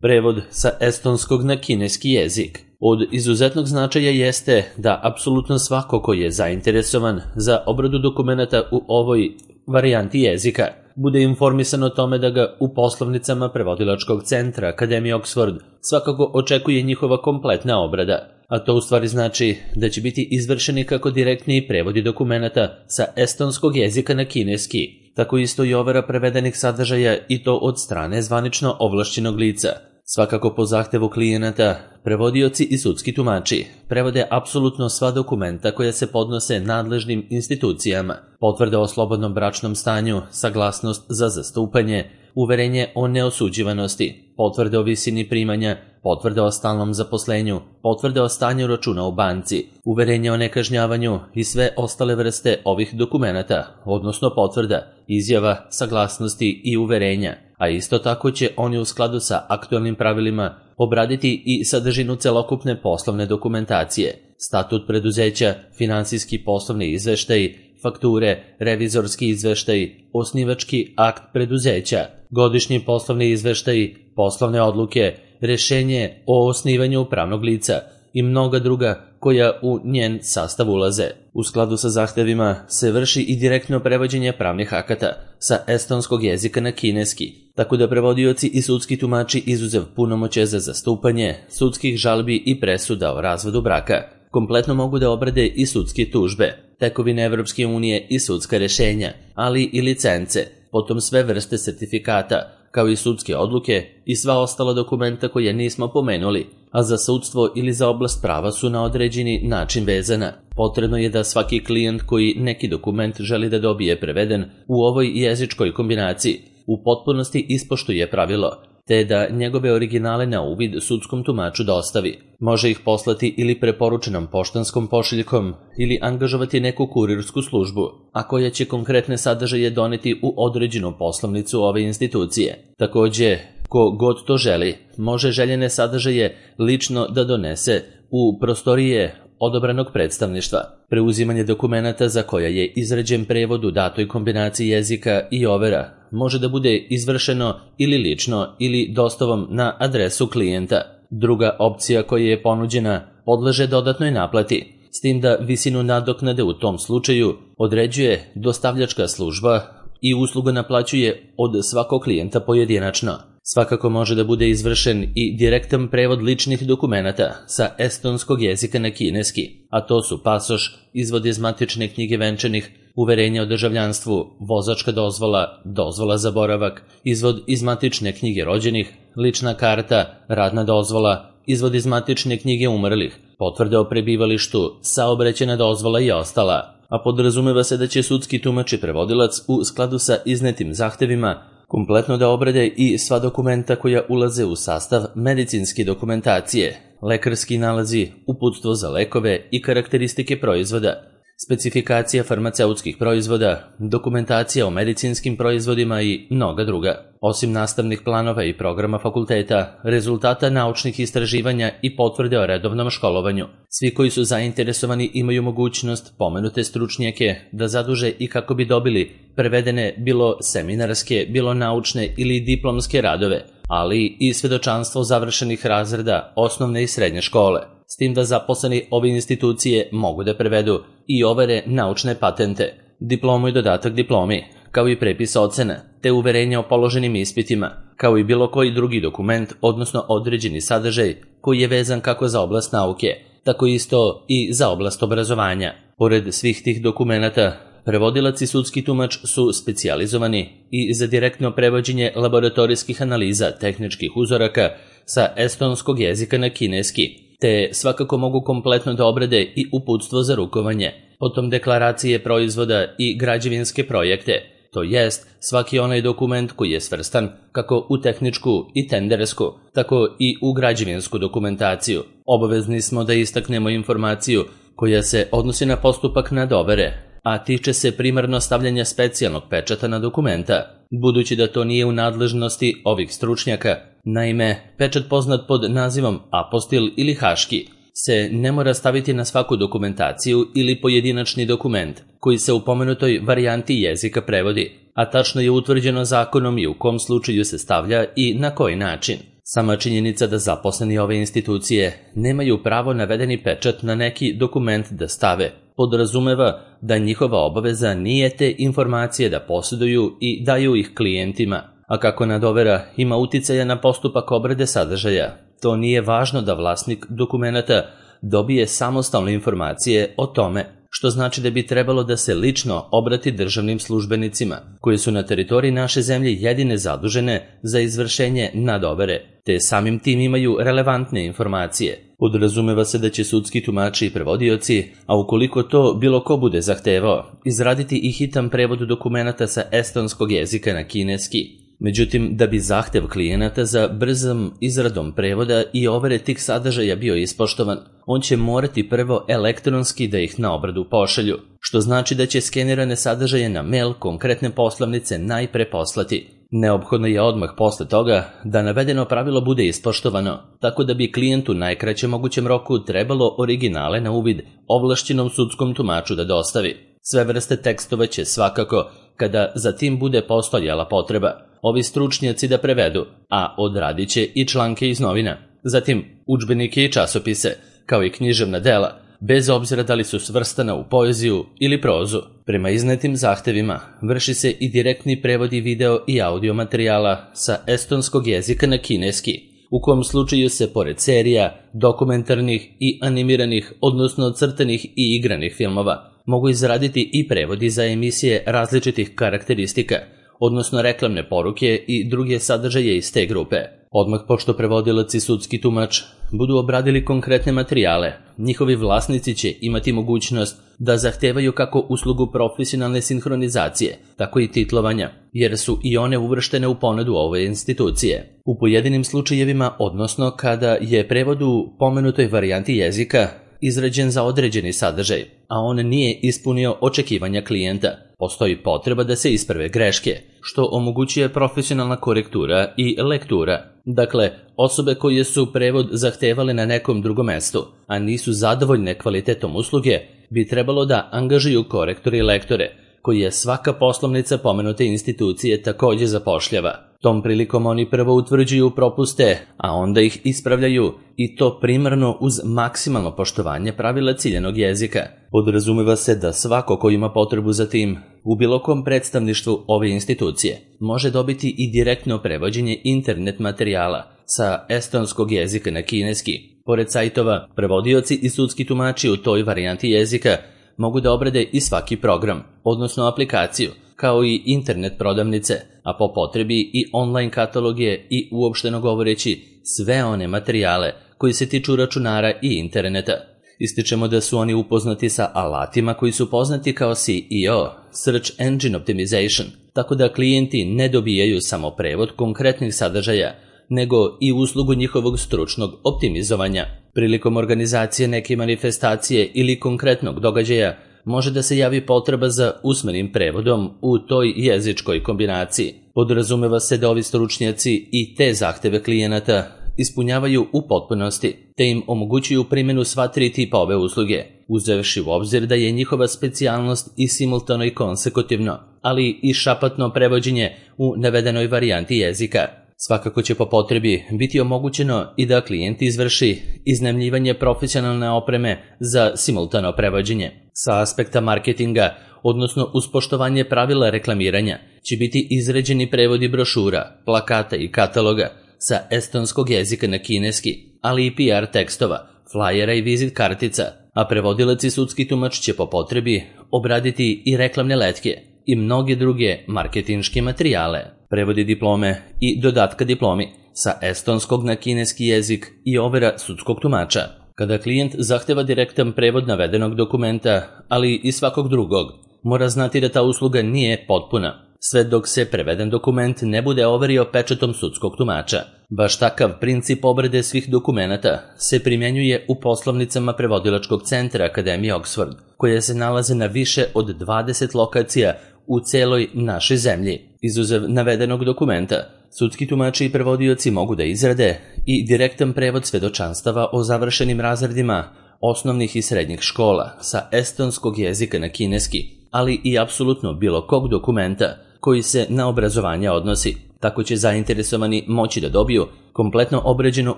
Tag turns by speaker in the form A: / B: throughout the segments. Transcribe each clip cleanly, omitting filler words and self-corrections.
A: Prevod sa estonskog na kineski jezik. Od izuzetnog značaja jeste da apsolutno svako ko je zainteresovan za obradu dokumenata u ovoj varijanti jezika bude informisan o tome da ga u poslovnicama prevodilačkog centra Akademije Oxford svakako očekuje njihova kompletna obrada, a to u stvari znači da će biti izvršeni kako direktni prevodi dokumenata sa estonskog jezika na kineski, tako isto i overa prevedenih sadržaja i to od strane zvanično ovlašćenog lica. Svakako po zahtevu klijenata, prevodioci i sudski tumači prevode apsolutno sva dokumenta koja se podnose nadležnim institucijama, potvrde o slobodnom bračnom stanju, saglasnost za zastupanje, uverenje o neosuđivanosti, potvrde o visini primanja, potvrde o stalnom zaposlenju, potvrde o stanju računa u banci, uverenje o nekažnjavanju i sve ostale vrste ovih dokumenata, odnosno potvrda, izjava, saglasnosti i uverenja, a isto tako će oni u skladu sa aktualnim pravilima obraditi i sadržinu celokupne poslovne dokumentacije, statut preduzeća, finansijski poslovni izveštaj, fakture, revizorski izveštaj, osnivački akt preduzeća, godišnji poslovni izveštaj, poslovne odluke, rešenje o osnivanju pravnog lica i mnoga druga koja u njen sastav ulaze. U skladu sa zahtevima se vrši i direktno prevođenje pravnih akata sa estonskog jezika na kineski, tako da prevodioci i sudski tumači izuzev punomoćja za zastupanje, sudskih žalbi i presuda o razvodu braka, kompletno mogu da obrade i sudske tužbe, tekovine Evropske unije i sudska rešenja, ali i licence, potom sve vrste sertifikata, kao i sudske odluke i sva ostala dokumenta koje nismo pomenuli, a za sudstvo ili za oblast prava su na određeni način vezana. Potrebno je da svaki klijent koji neki dokument želi da dobije preveden u ovoj jezičkoj kombinaciji u potpunosti ispoštuje pravilo, te da njegove originale na uvid sudskom tumaču dostavi. Može ih poslati ili preporučenom poštanskom pošiljkom ili angažovati neku kurirsku službu, a koja će konkretne sadržaje doneti u određenu poslovnicu ove institucije. Takođe, ko god to želi, može željene sadržaje lično da donese u prostorije odobranog predstavništva. Preuzimanje dokumenata za koja je izrađen prevod u datoj kombinaciji jezika i overa može da bude izvršeno ili lično ili dostavom na adresu klijenta. Druga opcija koja je ponuđena podleže dodatnoj naplati, s tim da visinu nadoknade u tom slučaju određuje dostavljačka služba i usluga naplaćuje od svakog klijenta pojedinačno. Svakako može da bude izvršen i direktan prevod ličnih dokumenata sa estonskog jezika na kineski, a to su pasoš, izvod iz matične knjige venčanih, uverenje o državljanstvu, vozačka dozvola, dozvola za boravak, izvod iz matične knjige rođenih, lična karta, radna dozvola, izvod iz matične knjige umrlih, potvrde o prebivalištu, saobraćajna dozvola i ostala, a podrazumeva se da će sudski tumač i prevodilac u skladu sa iznetim zahtevima kompletno da obrade i sva dokumenta koja ulaze u sastav medicinske dokumentacije, lekarski nalazi, uputstvo za lekove i karakteristike proizvoda, specifikacija farmaceutskih proizvoda, dokumentacija o medicinskim proizvodima i mnoga druga. Osim nastavnih planova i programa fakulteta, rezultata naučnih istraživanja i potvrde o redovnom školovanju, svi koji su zainteresovani imaju mogućnost pomenute stručnjake da zaduže i kako bi dobili prevedene bilo seminarske, bilo naučne ili diplomske radove, ali i svedočanstvo završenih razreda osnovne i srednje škole, s tim da zaposleni ove institucije mogu da prevedu i overe naučne patente, diplomu i dodatak diplomi, kao i prepis ocena, te uverenja o položenim ispitima, kao i bilo koji drugi dokument, odnosno određeni sadržaj koji je vezan kako za oblast nauke, tako isto i za oblast obrazovanja. Pored svih tih dokumenata, prevodilac i sudski tumač su specijalizovani i za direktno prevođenje laboratorijskih analiza tehničkih uzoraka sa estonskog jezika na kineski, te svakako mogu kompletno da obrade i uputstvo za rukovanje, potom deklaracije proizvoda i građevinske projekte, to jest svaki onaj dokument koji je svrstan kako u tehničku i tendersku, tako i u građevinsku dokumentaciju. Obavezni smo da istaknemo informaciju koja se odnosi na postupak nadovere, a tiče se primarno stavljanja specijalnog pečata na dokumenta, budući da to nije u nadležnosti ovih stručnjaka. Naime, pečat poznat pod nazivom apostil ili haški se ne mora staviti na svaku dokumentaciju ili pojedinačni dokument koji se u pomenutoj varijanti jezika prevodi, a tačno je utvrđeno zakonom i u kom slučaju se stavlja i na koji način. Sama činjenica da zaposleni ove institucije nemaju pravo navedeni pečat na neki dokument da stave podrazumeva da njihova obaveza nije te informacije da posjeduju i daju ih klijentima, a kako nadovera ima uticaja na postupak obrade sadržaja, to nije važno da vlasnik dokumenata dobije samostalne informacije o tome, što znači da bi trebalo da se lično obrati državnim službenicima, koji su na teritoriji naše zemlje jedine zadužene za izvršenje nadovere, te samim tim imaju relevantne informacije. Podrazumeva se da će sudski tumači i prevodioci, a ukoliko to bilo ko bude zahtevao, izraditi i hitan prevod dokumenata sa estonskog jezika na kineski. Međutim, da bi zahtev klijenata za brzom izradom prevoda i overe tih sadržaja bio ispoštovan, on će morati prvo elektronski da ih na obradu pošalju, što znači da će skenirane sadržaje na mail konkretne poslovnice najpre poslati. Neophodno je odmah posle toga da navedeno pravilo bude ispoštovano, tako da bi klijentu najkraćem mogućem roku trebalo originale na uvid ovlašćenom sudskom tumaču da dostavi. Sve vrste tekstova će svakako, kada za tim bude postojala potreba, ovi stručnjaci da prevedu, a odradit će i članke iz novina. Zatim, udžbenike i časopise, kao i književna dela, bez obzira da li su svrstana u poeziju ili prozu. Prema iznetim zahtevima vrši se i direktni prevodi video i audio materijala sa estonskog jezika na kineski, u kom slučaju se pored serija, dokumentarnih i animiranih, odnosno crtanih i igranih filmova, mogu izraditi i prevodi za emisije različitih karakteristika, odnosno reklamne poruke i druge sadržaje iz te grupe. Odmah pošto prevodilac i sudski tumač budu obradili konkretne materijale, njihovi vlasnici će imati mogućnost da zahtevaju kako uslugu profesionalne sinhronizacije, tako i titlovanja, jer su i one uvrštene u ponudu ove institucije. U pojedinim slučajevima, odnosno kada je prevod u pomenutoj varijanti jezika izrađen za određeni sadržaj, a on nije ispunio očekivanja klijenta, postoji potreba da se isprave greške, što omogućuje profesionalna korektura i lektura. Dakle, osobe koje su prevod zahtevale na nekom drugom mestu, a nisu zadovoljne kvalitetom usluge, bi trebalo da angažuju korektore i lektore, koji je svaka poslovnica pomenute institucije također zapošljava. Tom prilikom oni prvo utvrđuju propuste, a onda ih ispravljaju, i to primarno uz maksimalno poštovanje pravila ciljanog jezika. Podrazumeva se da svako ko ima potrebu za tim, u bilo kom predstavništvu ove institucije, može dobiti i direktno prevođenje internet materijala sa estonskog jezika na kineski. Pored sajtova, prevodioci i sudski tumači u toj varijanti jezika mogu da obrade i svaki program, odnosno aplikaciju, kao i internet prodavnice, a po potrebi i online kataloge i uopšteno govoreći sve one materijale koji se tiču računara i interneta. Ističemo da su oni upoznati sa alatima koji su poznati kao SEO, Search Engine Optimization, tako da klijenti ne dobijaju samo prevod konkretnih sadržaja, nego i uslugu njihovog stručnog optimizovanja. Prilikom organizacije neke manifestacije ili konkretnog događaja može da se javi potreba za usmenim prevodom u toj jezičkoj kombinaciji. Podrazumeva se da ovi stručnjaci i te zahteve klijenata ispunjavaju u potpunosti, te im omogućuju primjenu sva tri tipa ove usluge, uzevši u obzir da je njihova specijalnost i simultano i konsekutivno, ali i šapatno prevođenje u navedenoj varijanti jezika. Svakako će po potrebi biti omogućeno i da klijent izvrši iznajmljivanje profesionalne opreme za simultano prevođenje. Sa aspekta marketinga, odnosno uz poštovanje pravila reklamiranja, će biti izrađeni prevodi brošura, plakata i kataloga sa estonskog jezika na kineski, ali i PR tekstova, flajera i vizit kartica, a prevodilac i sudski tumač će po potrebi obraditi i reklamne letke i mnoge druge marketinške materijale, prevodi diplome i dodatka diplomi sa estonskog na kineski jezik i overa sudskog tumača. Kada klijent zahteva direktan prevod navedenog dokumenta, ali i svakog drugog, mora znati da ta usluga nije potpuna, sve dok se preveden dokument ne bude overio pečatom sudskog tumača. Baš takav princip obrade svih dokumenata se primjenjuje u poslovnicama prevodilačkog centra Akademije Oxford, koje se nalaze na više od 20 lokacija u celoj našoj zemlji. Izuzev navedenog dokumenta, sudski tumači i prevodioci mogu da izrade i direktan prevod svedočanstava o završenim razredima osnovnih i srednjih škola sa estonskog jezika na kineski, ali i apsolutno bilo kog dokumenta koji se na obrazovanje odnosi. Tako će zainteresovani moći da dobiju kompletno obrađeno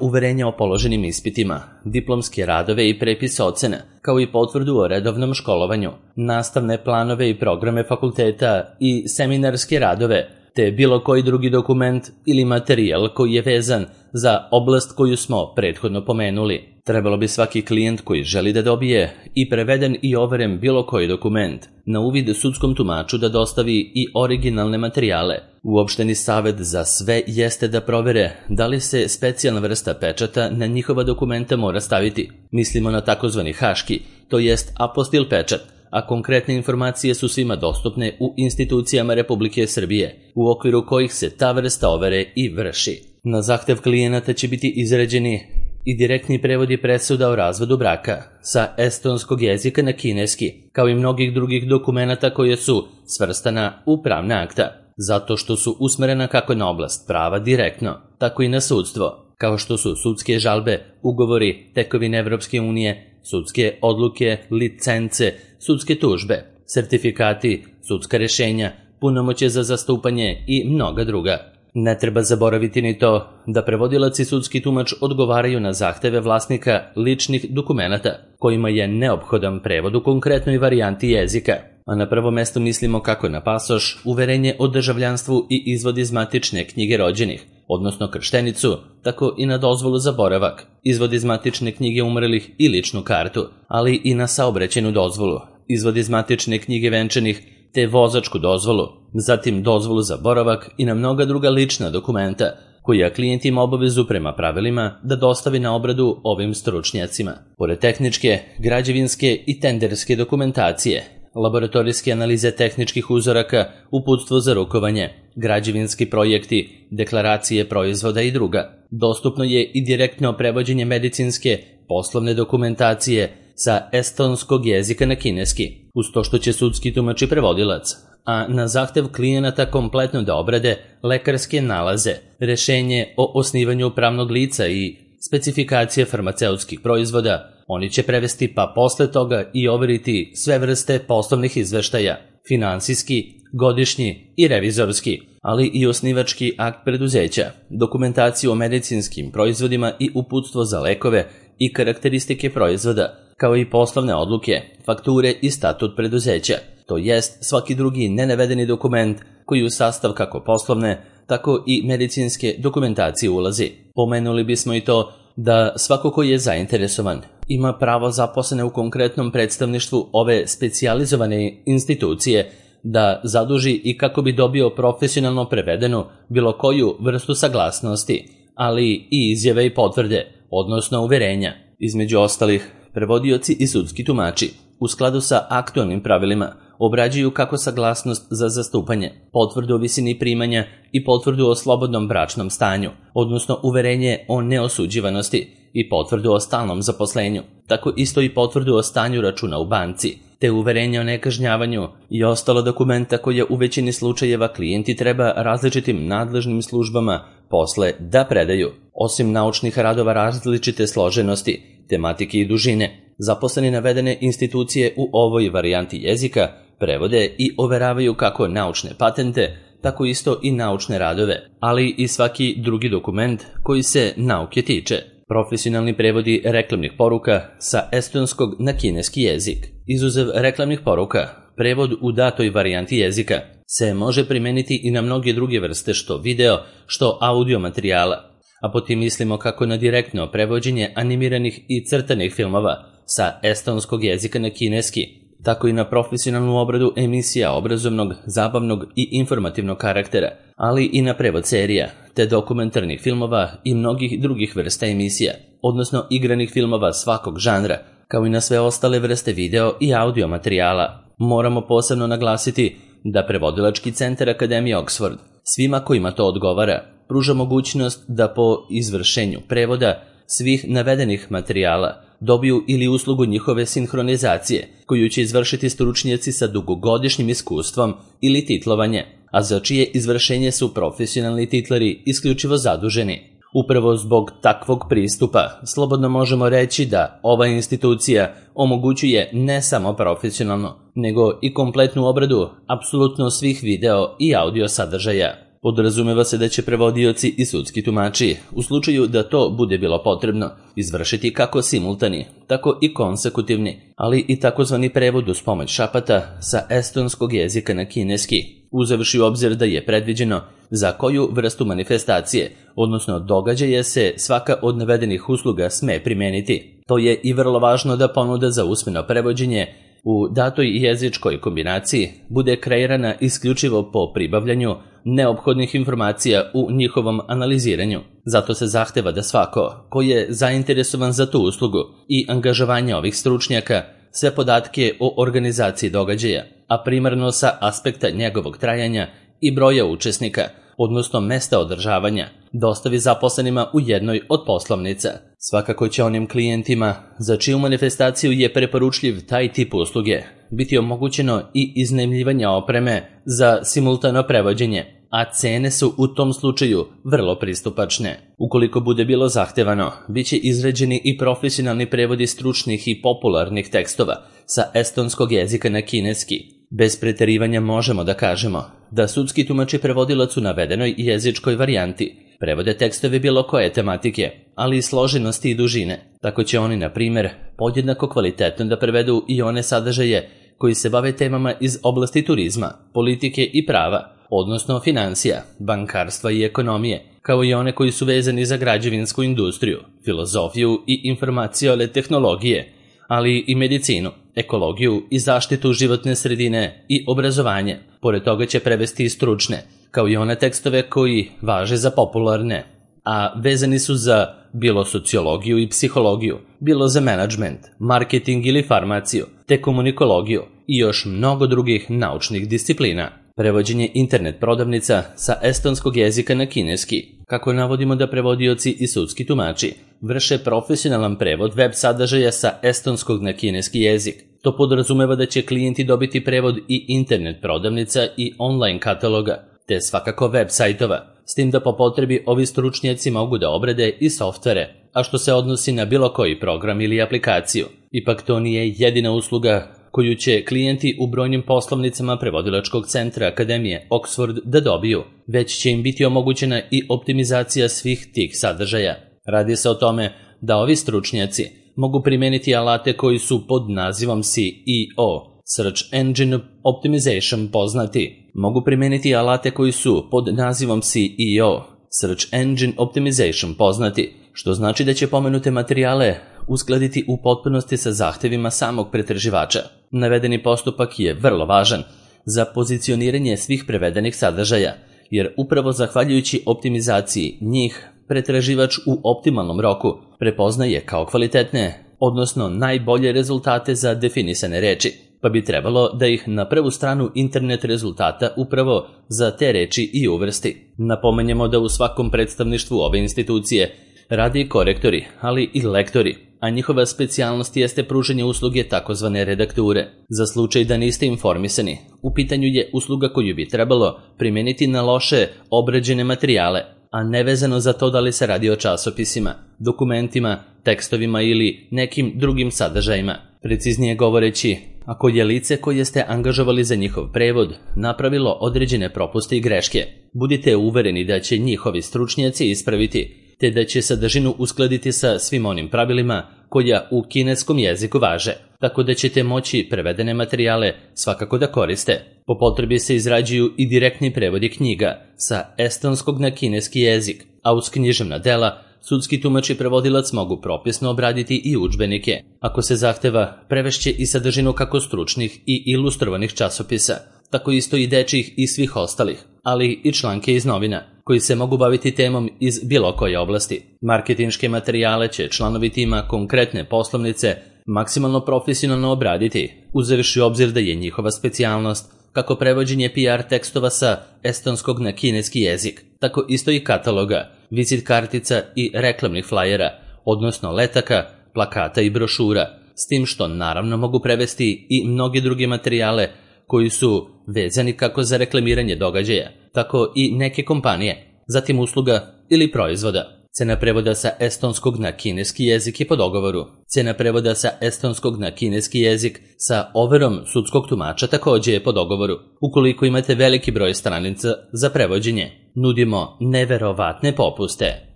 A: uverenje o položenim ispitima, diplomske radove i prepis ocena, kao i potvrdu o redovnom školovanju, nastavne planove i programe fakulteta i seminarske radove, te bilo koji drugi dokument ili materijal koji je vezan za oblast koju smo prethodno pomenuli. Trebalo bi svaki klijent koji želi da dobije i preveden i overen bilo koji dokument na uvid sudskom tumaču da dostavi i originalne materijale. Uopšteni savet za sve jeste da provere da li se specijalna vrsta pečata na njihova dokumenta mora staviti. Mislimo na takozvani haški, to jest apostil pečat, a konkretne informacije su svima dostupne u institucijama Republike Srbije, u okviru kojih se ta vrsta overe i vrši. Na zahtev klijenata će biti izrađeni i direktni prevodi presuda o razvodu braka sa estonskog jezika na kineski, kao i mnogih drugih dokumenata koje su svrstana u pravna akta, zato što su usmerena kako na oblast prava direktno, tako i na sudstvo, kao što su sudske žalbe, ugovori, tekovine Evropske unije, sudske odluke, licence, sudske tužbe, sertifikati, sudska rešenja, punomoćje za zastupanje i mnoga druga. Ne treba zaboraviti ni to da prevodilac i sudski tumač odgovaraju na zahteve vlasnika ličnih dokumenata, kojima je neophodan prevod u konkretnoj varijanti jezika. A na prvo mesto mislimo kako na pasoš, uverenje o državljanstvu i izvod iz matične knjige rođenih, odnosno krštenicu, tako i na dozvolu za boravak, izvod iz matične knjige umrlih i ličnu kartu, ali i na saobraćajnu dozvolu, izvod iz matične knjige venčanih, te vozačku dozvolu, zatim dozvolu za boravak i na mnoga druga lična dokumenta, koja klijent ima obavezu prema pravilima da dostavi na obradu ovim stručnjacima. Pored tehničke, građevinske i tenderske dokumentacije, laboratorijske analize tehničkih uzoraka, uputstvo za rukovanje, građevinski projekti, deklaracije proizvoda i druga. Dostupno je i direktno prevođenje medicinske, poslovne dokumentacije sa estonskog jezika na kineski, uz to što će sudski tumač i prevodilac, a na zahtev klijenata kompletno da obrade lekarske nalaze, rešenje o osnivanju pravnog lica i specifikacije farmaceutskih proizvoda, oni će prevesti pa posle toga i overiti sve vrste poslovnih izveštaja, finansijski, godišnji i revizorski, ali i osnivački akt preduzeća, dokumentaciju o medicinskim proizvodima i uputstvo za lekove i karakteristike proizvoda, kao i poslovne odluke, fakture i statut preduzeća, to jest svaki drugi nenavedeni dokument koji u sastav kako poslovne, tako i medicinske dokumentacije ulazi. Pomenuli bismo i to da svako ko je zainteresovan ima pravo zaposlene u konkretnom predstavništvu ove specijalizovane institucije da zaduži i kako bi dobio profesionalno prevedenu bilo koju vrstu saglasnosti, ali i izjave i potvrde, odnosno uverenja. Između ostalih, prevodioci i sudski tumači, u skladu sa aktualnim pravilima, obrađuju kako saglasnost za zastupanje, potvrdu o visini primanja i potvrdu o slobodnom bračnom stanju, odnosno uverenje o neosuđivanosti i potvrdu o stalnom zaposlenju, tako isto i potvrdu o stanju računa u banci, te uverenje o nekažnjavanju i ostalo dokumenta koje u većini slučajeva klijenti treba različitim nadležnim službama posle da predaju. Osim naučnih radova različite složenosti, tematike i dužine, zaposleni navedene institucije u ovoj varijanti jezika prevode i overavaju kako naučne patente, tako isto i naučne radove, ali i svaki drugi dokument koji se nauke tiče. Profesionalni prevodi reklamnih poruka sa estonskog na kineski jezik. Izuzev reklamnih poruka, prevod u datoj varijanti jezika se može primeniti i na mnoge druge vrste što video, što audio materijala, a potim mislimo kako na direktno prevođenje animiranih i crtanih filmova sa estonskog jezika na kineski, tako i na profesionalnu obradu emisija obrazovnog, zabavnog i informativnog karaktera, ali i na prevod serija, te dokumentarnih filmova i mnogih drugih vrsta emisija, odnosno igranih filmova svakog žanra, kao i na sve ostale vrste video i audio materijala. Moramo posebno naglasiti da Prevodilački centar Akademije Oxford svima kojima to odgovara pruža mogućnost da po izvršenju prevoda svih navedenih materijala dobiju ili uslugu njihove sinhronizacije, koju će izvršiti stručnjaci sa dugogodišnjim iskustvom ili titlovanje, a za čije izvršenje su profesionalni titlari isključivo zaduženi. Upravo zbog takvog pristupa slobodno možemo reći da ova institucija omogućuje ne samo profesionalno, nego i kompletnu obradu apsolutno svih video i audio sadržaja. Podrazumeva se da će prevodioci i sudski tumači, u slučaju da to bude bilo potrebno, izvršiti kako simultani, tako i konsekutivni, ali i takozvani prevod uz pomoć šapata sa estonskog jezika na kineski, uzevši u obzir da je predviđeno za koju vrstu manifestacije, odnosno događaje se svaka od navedenih usluga sme primeniti. To je i vrlo važno da ponuda za usmeno prevođenje u datoj jezičkoj kombinaciji bude kreirana isključivo po pribavljanju neophodnih informacija u njihovom analiziranju. Zato se zahteva da svako ko je zainteresovan za tu uslugu i angažovanje ovih stručnjaka sve podatke o organizaciji događaja, a primarno sa aspekta njegovog trajanja i broja učesnika, odnosno mesta održavanja, dostavi zaposlenima u jednoj od poslovnica. Svakako će onim klijentima za čiju manifestaciju je preporučljiv taj tip usluge biti omogućeno i iznajmljivanje opreme za simultano prevođenje, a cene su u tom slučaju vrlo pristupačne. Ukoliko bude bilo zahtevano, bit će izrađeni i profesionalni prevodi stručnih i popularnih tekstova sa estonskog jezika na kineski. Bez preterivanja možemo da kažemo da sudski tumač i prevodilac u navedenoj jezičkoj varijanti prevode tekstove bilo koje tematike, ali i složenosti i dužine. Tako će oni, na primjer, podjednako kvalitetno da prevedu i one sadržaje koji se bave temama iz oblasti turizma, politike i prava, odnosno financija, bankarstva i ekonomije, kao i one koji su vezani za građevinsku industriju, filozofiju i informacione tehnologije, ali i medicinu, ekologiju i zaštitu životne sredine i obrazovanje. Pored toga će prevesti i stručne, kao i one tekstove koji važe za popularne, a vezani su za bilo sociologiju i psihologiju, bilo za menadžment, marketing ili farmaciju, te komunikologiju i još mnogo drugih naučnih disciplina. Prevođenje internet prodavnica sa estonskog jezika na kineski. Kako navodimo da prevodioci i sudski tumači vrše profesionalan prevod web sadržaja sa estonskog na kineski jezik. To podrazumeva da će klijenti dobiti prevod i internet prodavnica i online kataloga, te svakako web sajtova, s tim da po potrebi ovi stručnjaci mogu da obrade i softvere, a što se odnosi na bilo koji program ili aplikaciju. Ipak to nije jedina usluga koju će klijenti u brojnim poslovnicama prevodilačkog centra Akademije Oxford da dobiju, već će im biti omogućena i optimizacija svih tih sadržaja. Radi se o tome da ovi stručnjaci mogu primeniti alate koji su pod nazivom SEO, Search Engine Optimization poznati. Mogu primeniti alate koji su pod nazivom SEO, Search Engine Optimization poznati, što znači da će pomenute materijale uskladiti u potpunosti sa zahtevima samog pretraživača. Navedeni postupak je vrlo važan za pozicioniranje svih prevedenih sadržaja, jer upravo zahvaljujući optimizaciji njih pretraživač u optimalnom roku prepoznaje kao kvalitetne, odnosno najbolje rezultate za definisane reči, pa bi trebalo da ih na prvu stranu internet rezultata upravo za te reči i uvrsti. Napomenjemo da u svakom predstavništvu ove institucije radi i korektori, ali i lektori, a njihova specijalnost jeste pružanje usluge takozvane redakture. Za slučaj da niste informisani, u pitanju je usluga koju bi trebalo primeniti na loše obrađene materijale, a nevezano za to da li se radi o časopisima, dokumentima, tekstovima ili nekim drugim sadržajima. Preciznije govoreći, ako je lice koje ste angažovali za njihov prevod napravilo određene propuste i greške, budite uvereni da će njihovi stručnjaci ispraviti, te da će sadržinu uskladiti sa svim onim pravilima koja u kineskom jeziku važe, tako da ćete moći prevedene materijale svakako da koriste. Po potrebi se izrađuju i direktni prevodi knjiga sa estonskog na kineski jezik, a uz književna dela sudski tumač i prevodilac mogu propisno obraditi i udžbenike. Ako se zahteva, prevešće i sadržinu kako stručnih i ilustrovanih časopisa, tako isto i dečjih i svih ostalih, ali i članke iz novina, koji se mogu baviti temom iz bilo koje oblasti. Marketinške materijale će članovi tima konkretne poslovnice maksimalno profesionalno obraditi, uzevši u obzir da je njihova specijalnost kako prevođenje PR tekstova sa estonskog na kineski jezik, tako isto i kataloga, vizit kartica i reklamnih flajera, odnosno letaka, plakata i brošura, s tim što naravno mogu prevesti i mnoge druge materijale koji su vezani kako za reklamiranje događaja, tako i neke kompanije, zatim usluga ili proizvoda. Cena prevoda sa estonskog na kineski jezik je po dogovoru. Cena prevoda sa estonskog na kineski jezik sa overom sudskog tumača također je po dogovoru. Ukoliko imate veliki broj stranica za prevođenje, nudimo neverovatne popuste.